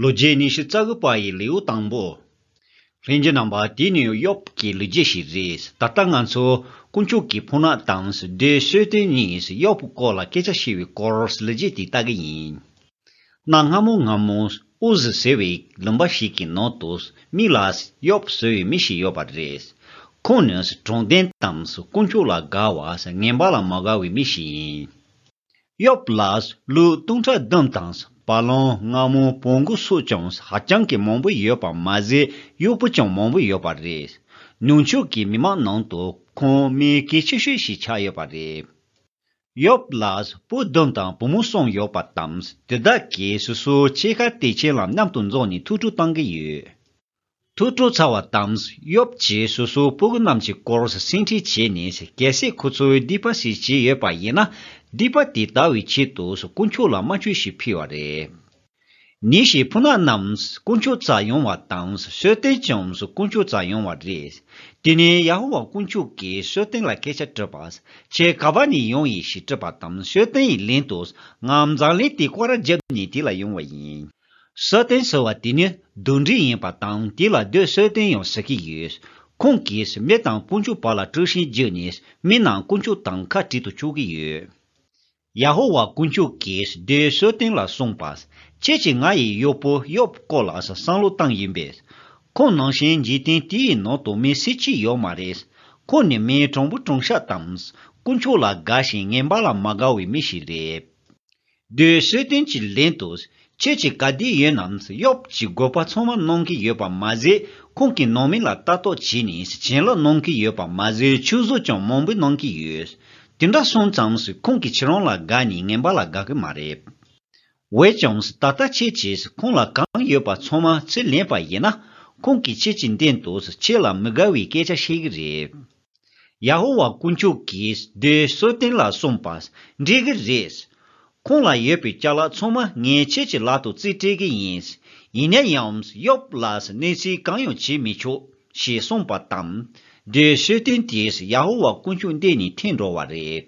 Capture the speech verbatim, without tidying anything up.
ལོ་རྒྱུས་ཉི་ཤུ་རྩ་དགུ་པ་ཡི་ལེའུ་དང་པོ། ལྷན་རྒྱས་རྣམ་པ། དེ་ནི་ཡོབ་ཀྱི་ལོ་རྒྱུས་ཤིག་རེད། ད་ལྟ་ང་ཚོ་དཀོན་མཆོག་གི་ཕོ་ཉ་དང་བདུད་གསོད་རྟེན་གཉིས་ཡོབ་སྐོར་ལ་སྐད་ཆ་བཤད་པའི་སྐོར་ལོ་རྒྱུས་དེ་ལྟ་གི་ཡིན། གནའ་སྔ་མོ་སྔ་མོ་ཨུ་ཟི་ཟེར་བའི་ལུང་པ་ཞིག་གི་ནང་དུ་མི་ལ་ཡོབ་ཟེར་བའི་མི་ཞིག་ཡོད་པ་རེད། ཁོང་ནི་དྲང་བདེན་དང་དཀོན་མཆོག་ལ་དགའ་བ་ངན་པ་ལ་མ་དགའ་བའི་མི་ཞིག་ཡིན། ཡོབ་ལ་ལོ་སྟོང་ཕྲག་བདུན་དང་བ་ལང་རྔ་མོང་བོང་གུ་སོགས་ཀྱང་ཧ་ཅང་གི་མང་པོ་ཡོད་པ་མ་ཟད། གཡོག་པོ་ཀྱང་མང་པོ་ཡོད་པ་རེད། ནུབ་ཕྱོགས་ཀྱི་མི་མང་ནང་དུ་ཁོང་མི་གལ་ཆེ་ཤོས་ཤིག་ཆགས་ཡོད་པ་རེད། ཡོབ་ལ་བུ་བདུན་དང་བུ་མོ་གསུམ་ཡོད་པ་དང་། དེ་དག་གིས་སོ་སོའི་ཕྱེད་ཀ་དེ་ཁྱེད་ལ་མཉམ་དུ་འཛོམས་ནས་ཐུགས་སྤྲོ་བཏང་གི་ཡོད། ཐུགས་སྤྲོ་ཚར་བ་དང་། ཡོབ་ཀྱིས་སོ་སོའི་ཕྲུ་གུ་རྣམས་ཀྱི་སྐོར་སེམས་ཁྲལ་བྱས་ནས། གལ་སྲིད་ཁོ་ཚོས་སྡིག་པ་ཞིག་བྱས་ཡོད་པ་ཡིན་ན། སྡིག་པ་དེ་དག་གི་ཆེད་དུ་དཀོན་མཆོག་ལ་དམར་མཆོད་ཞིག་ཕུལ་བ་རེད། ཉིན་ཞིག་ཕོ་ཉ་རྣམས་དཀོན་མཆོག་རྩར་ཡོང་བ་དང་། གསོལ་རྟེན་ཀྱང་དཀོན་མཆོག་རྩར་ཡོང་བ་རེད། དེ་ནས་ཡ་ཧོ་ཝཱ་དཀོན་མཆོག་གིས་གསོལ་རྟེན་ལ་སྐད་ཆ་དྲིས་པ། ཁྱེད་ག་པ་ནས་ཡོང་ཡིན་ཞེས་དྲིས་པ་དང་། གསོལ་རྟེན་ཡི་ལན་དུ། ང་འཛམ་གླིང་དེ་སྐོར་ར་བརྒྱབ་ནས་དེ་ལ་ཡོང་བ་ཡིན། གསོལ་རྟེན་ཟེར་བ་དེ་ནི་གདོན་འདྲེ་ཡིན་པ་དང་། དེ་ལ་བདུད་གསོད་རྟེན་ཡང་ཟེར་གྱི་ཡོད། ཁོང་གིས་མི་དང་དཀོན་མཆོག་བར་ལ་དཀྲུག་ཤིང་བརྒྱབ་ནས། མི་རྣམས་དཀོན་མཆོག་དང་ཁ་བྲལ་དུ་བཅུག་གི་ཡོད། ཡ་ཧོ་ཝཱ་དཀོན་མཆོག་གིས་བདུད་གསོད་རྟེན་ལ་གསུངས་པ། ཁྱེད་ཀྱིས་ང་ཡི་གཡོག་པོ་ཡོབ་སྐོར་ལ་བསམ་བློ་བཏང་ཡིན་པས། ཁོང་ནང་བཞིན་འཇིག་རྟེན་དེའི་ནང་དུ་མི་སུ་གཅིག་ཡོད་མ་རེད། ཁོང་ནི་མི་དྲང་པོ་དྲང་བཞག་དང་། དཀོན་མཆོག་ལ་དགའ་ཞིང་ངན་པ་ལ་མ་དགའ་བའི་མི་ཞིག་རེད། བདུད་གསོད་རྟེན་གྱི་ལན་དུ། ཁྱེད་ཀྱིས་ག་དུས་ཡིན་ནའང་ཡོབ་ཀྱི་དགོས་པ་ཚང་མ་གནང་གི་ཡོད་པ་མ་ཟད། ཁོང་གི་ནང་མི་ལ་ལྟ་རྟོག་བྱས་ནས་བྱིན་རླབས་གནང་གི་ཡོད་པ་མ་ཟད། ཆོས་གཟུགས་ཀྱང་མང་པོ་གནང་གི་ཡོད། དེ་འདྲ་སོང་ཙང་ཁོང་གིས་ཁྱེད་རང་ལ་དགའ་ནས་ངན་པ་ལ་དགའ་གི་མ་རེད། འོན་ཀྱང་ད་ལྟ་ཁྱེད་ཀྱིས་ཁོང་ལ་གང་ཡོད་པ་ཚང་མ་ཚུར་ལེན་པ་ཡིན་ན། ཁོང་གིས་ཁྱེད་ཀྱི་མདུན་དུ་ཁྱེད་ལ་མི་དགའ་བའི་སྐད་ཆ་བཤད་གི་རེད། ཡ་ཧོ་ཝཱ་དཀོན་མཆོག་གིས་བདུད་གསོད་རྟེན་ལ་གསུངས་པ། འགྲིག་གི་རེད། ཁོང་ལ་ཡོད་པའི་ཅ་ལག་ཚང་མ་ངས་ཁྱེད་ཀྱི་ལག་ཏུ་རྩིས་སྤྲད་གི་ཡིན། ཡིན་ན་ཡང་ཡོབ་ལ་གནོད་འཚེ་གང་ཡང་བྱེད་མི་ཆོག་ཞེས་གསུངས་པ་དང་། བདུད་གསོད་རྟེན་དེས་ཡ་ཧོ་ཝཱ་དཀོན་མཆོག་མདུན་ནས་འཐེན་འགྲོ་བ་རེད།